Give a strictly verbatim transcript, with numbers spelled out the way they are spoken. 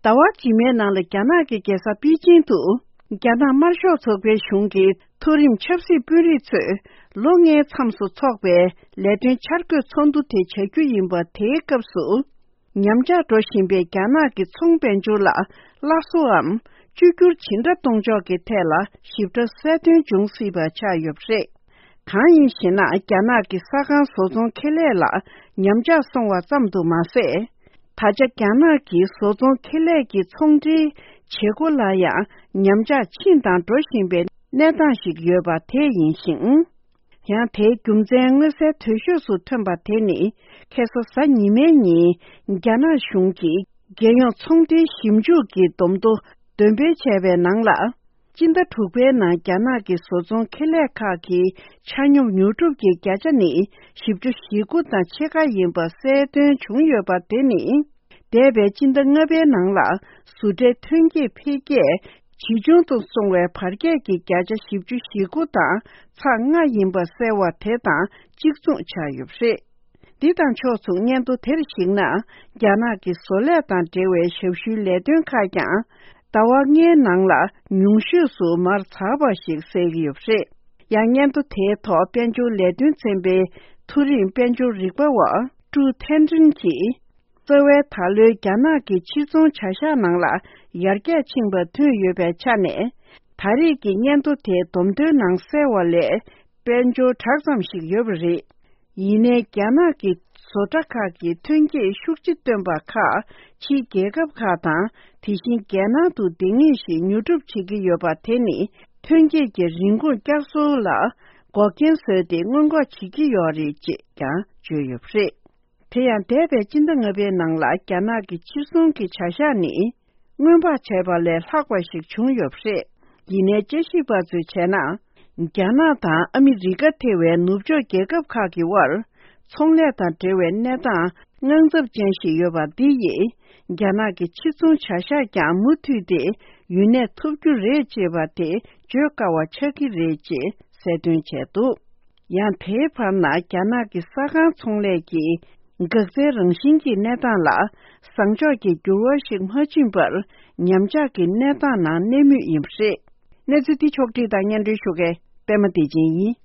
ཟླ་བ་རྗེས་མའི་ནང་ལ་རྒྱ་ནག་གི་རྒྱལ་ས་པེ་ཅིང་དུ། རྒྱ་ནག་དམར་ཤོག་ཚོགས་པའི་གཞུང་གི་མཐོ་རིམ་ཆབ་སྲིད་དཔོན་རིགས་ཚོས་ལོ་ལྔའི་མཚམས་སུ་འཚོགས་པའི་ལས་དོན་འཆར་འགོད་ཚོགས་འདུ་དེ་བྱ་རྒྱུ་ཡིན་པ་དེའི་སྐབས་སུ། ཉམས་ཆག་འགྲོ་བཞིན་པའི་རྒྱ་ནག་གི་ཚོང་དཔལ་འབྱོར་ལ་སླར་གསོའམ་བཅོས་བསྒྱུར་ཇི་འདྲ་གཏོང་ཕྱོགས་ཀྱི་ཐད་ལ་ཞིབ་ཕྲ་གསལ་སྟོན་འབྱུང་སྲིད་པ་ཆགས་ཡོད་པ་རེད། གང་ཡིན་ཞེ་ན། རྒྱ་ནག་གི་ས་ཁང་བཟོ་ཚོང་ཁེ་ལས་ལ་ཉམས་ཆག་སོང་བ་ཙམ་དུ་མ་ཟད། ད་ཆ་རྒྱ་ནག་གི་བཟོ་ཚོང་ཁེ་ལས་ཀྱི་ཚོང་འབྲེལ་བྱེད་སྒོ་ལ་ཡང་ཉམས་ཆག་ཕྱིན་དང་འགྲོ་བཞིན་པའི་གནས་སྟངས་ཤིག་ཡོད་པ་དེ་ཡིན་ཞིང་། ཡང་དེའི་རྒྱུ་མཚན་མངོན་གསལ་དོད་ཤོས་སུ་ཐོན་པ་དེ་ནི། ཁ་སང་གཟའ་ཉི་མའི་ཉིན་རྒྱ་ནག་གཞུང་གིས་རྒྱལ་ཡོངས་ཚོང་འབྲེལ་ཞིབ་འཇུག་གི་བསྡོམས་ཐོ་འདོན་སྤེལ་བྱས་པའི་ནང་ལ། སྤྱི་ཟླ་དྲུག་པའི་ནང་རྒྱ་ནག་གི་བཟོ་ཚོང་ཁེ་ལས་ཁག་གི་ཆ་སྙོམས་ཉོ་སྒྲུབ་ཀྱི་བརྒྱ་ཆ་ནི་བཞི་བཅུ་ཞེ་དགུ་དང་ཕྱེད་ཀ་ཡིན་པ་གསལ་སྟོན་བྱུང་ཡོད་པ་དེ་ནི། འདས་པའི་སྤྱི་ཟླ་ལྔ་པའི་ནང་ལ་བཟོ་གྲྭའི་ཐོན་སྐྱེད་འཕེལ་རྒྱས་ཇེ་ཆུང་དུ་སོང་བའི་བར་ཁྱད་ཀྱི་བརྒྱ་ཆ་བཞི་བཅུ་ཞེ་དགུ་དང་ཚེག་ལྔ་ཡིན་པ་གསལ་བ་དེ་དང་གཅིག་མཚུངས་ཆགས་ཡོད་པ་རེད། འདི་དང་ཕྱོགས་མཚུངས་སྙན་ཐོ་དེར་གཞིགས་ན། རྒྱ་ནག་གི་བཟོ་ལས་དང་འབྲེལ་བའི་ཞབས་ཞུའི་ལས་དོན་ཁག་ཀྱང་ཟླ་བ་ལྔའི་ནང་ལ་ཉུང་ཤོས་སུ་མར་ཚགས་པ་ཞིག་གསལ་གྱི་ཡོད་པ་རེད། ཡང་སྙན་ཐོ་དེའི་ཐོག་དཔལ་འབྱོར་ལས་དོན་ཚན་པའི་མཐོ་རིམ་དཔལ་འབྱོར་རིག་པ་བ་ཀྲུའུ་ཐན་ཀྲིན་གྱིས། རྩ་བའི་ད་ལོའི་རྒྱ་ནག་གི་ཕྱིར་ཚོང་བྱ་གཞག་ནང་ལ་ཡར་རྒྱས་ཕྱིན་པ་ཐོན་ཡོད་པའི་ཆ་ནས། ད་རེས་ཀྱི་སྙན་ཐོ་དེའི་བསྡོམས་ཐོའི་ནང་གསལ་བ་ལས་དཔལ་འབྱོར་དྲག་ཙམ་ཞིག་ཡོད་པ་རེད། ཡིན་ནའི་རྒྱ་ནག་གི་བཟོ་གྲྭ་ཁག་གིས་ཐོན་སྐྱེད་ཤུགས་ཆེ་བཏོན་པ་ཁག་ཕྱིའི་རྒྱལ་ཁབ་ཁག་དང་དེ་བཞིན་རྒྱལ་ནང་དུ་འདང་ངེས་ཤིག་ཉོ་སྒྲུབ་བྱེད་ཀྱི་ཡོད་པ་དེ་ནི་ཐོན་སྐྱེད་ཀྱི་རིན་གོང་བསྐྱར་གསོ་ལ་འགོག་རྐྱེན་བཟོས་ཏེ་སྔོན་འགོག་བྱེད་ཀྱི་ཡོད་རེད་ཅེས་ཀྱང་བརྗོད་ཡོད་པ་རེད། དེ་ཡང་འདས་པའི་སྤྱི་ཟླ་ལྔ་པའི་ནང་ལ་རྒྱ་ནག་གི་ཕྱིར་ཚོང་གི་བྱ་གཞག་ནི་སྔོན་དཔག་བྱས་པ་ལས་ལྷག་པ་ཞིག་བྱུང་ཡོད་པ་རེད། ཡིན་ནའི་དཔྱད་ཞིབ་པ་ཚོས་བྱས་ན། རྒྱ་ནག་དང་ཨ་མི་རི་ཀ་ཐེ་བའི་ནུབ་ཕྱོགས་རྒྱལ་ཁབ་ཁག་གི་དབར་ཚོང་ལས་དང་འབྲེལ་བའི་གནས་སྟངས་དངངས་འཚབ་ཅན་ཞིག་ཡོད་པ་འདི་ཡིས་རྒྱ་ནག་གི་ཕྱིར་ཚོང་བྱ་གཞག་ཀྱང་མུ་མཐུད་དེ་ཡུན་གནས་ཐུབ་རྒྱུ་རེད་ཅེས་པ་དེ་བརྗོད་དཀའ་བ་ཆགས་ཀྱི་རེད་ཅེས་གསལ་སྟོན་བྱས་འདུག་ཡང་དེའི་བར་ན་རྒྱ་ནག་གི་ས་ཁང་ཚོང་ལས་ཀྱི་འགག་རྩའི་རང་བཞིན་གྱི་གནས་སྟངས་ལ་བཟང་ཕྱོགས་ཀྱི་འགྱུར་བ་ཞིག་མ་ཕྱིན་པར་ཉམས་ཆག་གི་གནས་སྟངས་ནང་གནས་མུས་ཡིན་པ་རེད། གནས་ཚུལ་འདི་ཕྱོགས་བསྒྲིགས་དང་སྙན་སྒྲོན་ཞུ་མཁན་པད་མ་བདེ་ཆེན་ཡིན།